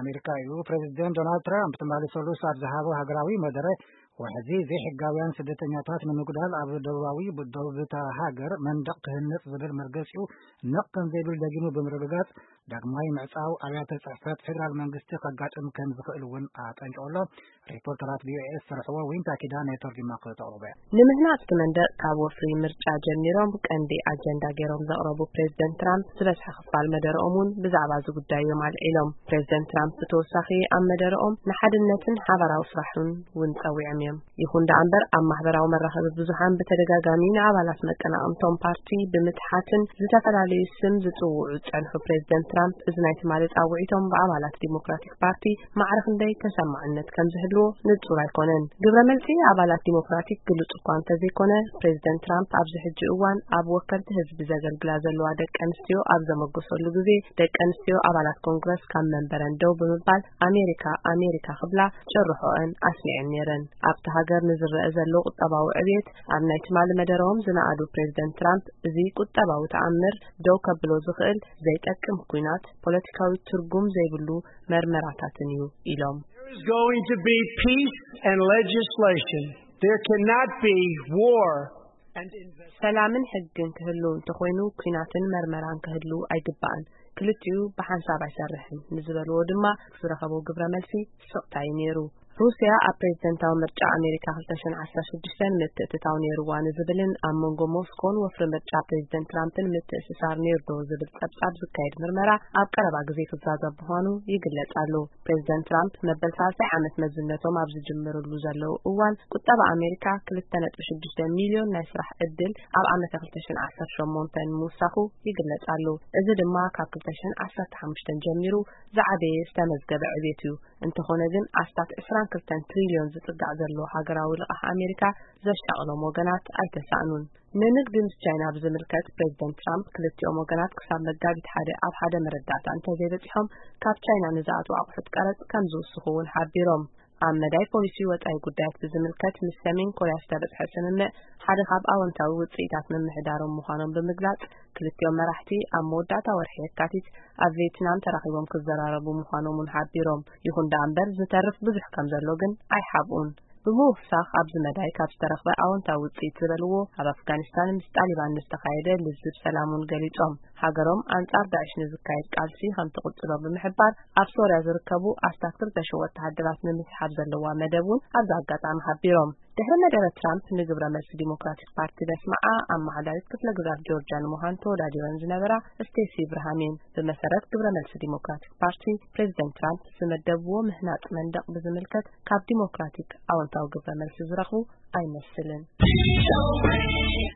ኣሜሪካ እዩ። ፕሬዚደንት ዶናልድ ትራምፕ ትማሊ ሰሉስ ኣብ ዝሃቦ ሃገራዊ መደረ፣ ዋሕዚ ዘይሕጋውያን ስደተኛታት ንምጉዳል ኣብ ደቡባዊ ደቡብ እታ ሃገር መንደቕ ክህነጽ ዝብል መርገጺኡ ነቕ ከም ዘይብል ደጊሙ ብምርግጋጽ፣ ዳግማይ ምዕጻው ኣብያተ ጽሕፈት ፌደራል መንግስቲ ከጋጥም ከም ዝኽእል እውን ኣጠንቂቑ ኣሎ። ሪፖርተራት ቪኦኤ ዝሰርሕዎ ዊንታ ኪዳነ ተርጒማ ክተቕርቦ እያ። ንምህናጽ እቲ መንደቕ ካብ ወፍሪ ምርጫ ጀሚሮም ቀንዲ ኣጀንዳ ገይሮም ዘቕረቡ ፕሬዚደንት ትራምፕ፣ ዝበዝሐ ክፋል መደረኦም እውን ብዛዕባ እዚ ጉዳይ እዮም ኣልዒሎም። ፕሬዚደንት ትራምፕ ብተወሳኺ ኣብ መደረኦም ንሓድነትን ሓባራዊ ስራሕን እውን ጸዊዖም እዮም። ይኹን ደኣ እምበር፣ ኣብ ማሕበራዊ መራኸቢ ብዙሓን ብተደጋጋሚ ንኣባላት መቀናቕንቶም ፓርቲ ብምትሓትን ዝተፈላለዩ ስም ዝጽውዑ ዝጸንሑ ፕሬዚደንት ትራምፕ፣ እዚ ናይ ትማሊ ጻውዒቶም ብኣባላት ዲሞክራቲክ ፓርቲ ማዕረ ክንደይ ተሰማዕነት ከም ዝህልዎ ንጹር ኣይኮነን። ግብረ መልሲ ኣባላት ዲሞክራቲክ ግሉጽ እኳ እንተዘይኮነ፣ ፕሬዚደንት ትራምፕ ኣብዚ ሕጂ እዋን ኣብ ወከልቲ ህዝቢ ዘገልግላ ዘለዋ ደቂ ኣንስትዮ ኣብ ዘመጎሰሉ ግዜ፣ ደቂ ኣንስትዮ ኣባላት ኮንግረስ ካብ መንበረን ደው ብምባል ኣሜሪካ ኣሜሪካ ክብላ ጭርሖአን ኣስሚዐን ነይረን። ኣብቲ ሃገር ንዝረአ ዘሎ ቁጠባዊ ዕብየት ኣብ ናይ ትማሊ መደረኦም ዝነኣዱ ፕሬዚደንት ትራምፕ፣ እዚ ቁጠባዊ ተኣምር ደው ከብሎ ዝኽእል ዘይጠቅም ኲናት፣ ፖለቲካዊ ትርጉም ዘይብሉ መርመራታትን እዩ ኢሎም። There is going to be peace and legislation. There cannot be war and invest- ሰላምን ሕግን ክህሉ እንተኾይኑ፣ ኲናትን መርመራን ክህሉ ኣይግባእን። ክልቲኡ ብሓንሳብ ኣይሰርሕን ንዝበልዎ ድማ ዝረኸቦ ግብረ መልሲ ስቕታ እዩ ነይሩ። ሩስያ ኣብ ፕሬዚደንታዊ ምርጫ ኣሜሪካ ክልተ ሽሕን ዓሰርተ ሽዱሽተን ምትእትታው ነይርዋ ንዝብልን ኣብ መንጎ ሞስኮን ወፍሪ ምርጫ ፕሬዚደንት ትራምፕን ምትእስሳር ነይሩ ዶ ዝብል ጸብጻብ ዝካየድ ምርመራ ኣብ ቀረባ ግዜ ክዛዘም ምዃኑ ይግለጽ ኣሎ። ፕሬዚደንት ትራምፕ መበል ሳልሳይ ዓመት መዝነቶም ኣብ ዝጅምርሉ ዘለዉ እዋን፣ ቁጠባ ኣሜሪካ ክልተ ነጥቢ ሽዱሽተ ሚልዮን ናይ ስራሕ ዕድል ኣብ ዓመተ ክልተ ሽሕን ዓሰርተ ሸሞንተን ምውሳኹ ይግለጽ ኣሎ። እዚ ድማ ካብ ክልተ ሽሕን ዓሰርተ ሓሙሽተን ጀሚሩ ዝዓበየ ዝተመዝገበ ዕብየት እዩ። እንተኾነ ግን፣ ኣስታት ዕስራን ክልተን ትሪልዮን ዝጽጋዕ ዘሎ ሃገራዊ ልቓሕ ኣሜሪካ ዘሻቕሎም ወገናት ኣይተሳእኑን። ንንግዲ ምስ ቻይና ብዝምልከት፣ ፕሬዚደንት ትራምፕ ክልቲኦም ወገናት ክሳብ መጋቢት ሓደ ኣብ ሓደ መረዳእታ እንተዘይበጺሖም፣ ካብ ቻይና ንዝኣትዉ ኣቑሑት ቀረጽ ከም ዝውስኹ እውን ሓቢሮም። ኣብ መዳይ ፖሊሲ ወጻኢ ጉዳያት ብዝምልከት፣ ምስ ሰሜን ኮርያ ዝተበጽሐ ስምምዕ ሓደ ካብ ኣወንታዊ ውጽኢታት ምምሕዳሮም ምዃኖም ብምግላጽ፣ ክልቲኦም መራሕቲ ኣብ መወዳእታ ወርሒ የካቲት ኣብ ቬትናም ተራኺቦም ክዘራረቡ ምዃኖም እውን ሓቢሮም። ይኹን ደኣ እምበር፣ ዝተርፍ ብዙሕ ከም ዘሎ ግን ኣይሓብኡን። ብምውሳኽ፣ ኣብዚ መዳይ ካብ ዝተረኽበ ኣወንታዊ ውጽኢት ዝበልዎ፣ ኣብ ኣፍጋኒስታን ምስ ጣሊባን ንዝተኻየደ ልዝብ ሰላም እውን ገሊጾም። ሃገሮም ኣንጻር ዳዕሽ ንዝካየድ ቃልሲ ከም ትቕጽሎ ብምሕባር፣ ኣብ ሶርያ ዝርከቡ ኣስታት ክልተ ሽሕ ወተሃደራት ንምስሓብ ዘለዋ መደብ እውን ኣብዚ ኣጋጣሚ ሓቢሮም። ድሕሪ መደረ ትራምፕ ንግብረ መልሲ ዲሞክራቲክ ፓርቲ ዘስምዓ፣ ኣመሓዳሪት ክፍለ ግዛት ጆርጅያ ንምዃን ተወዳዲረን ዝነበራ ስቴሲ ኢብርሃም እየን። ብመሰረት ግብረ መልሲ ዲሞክራቲክ ፓርቲ፣ ፕሬዚደንት ትራምፕ ዝመደብዎ ምህናጽ መንደቕ ብዝምልከት ካብ ዲሞክራቲክ ኣወንታዊ ግብረ መልሲ ዝረኽቡ ኣይመስልን።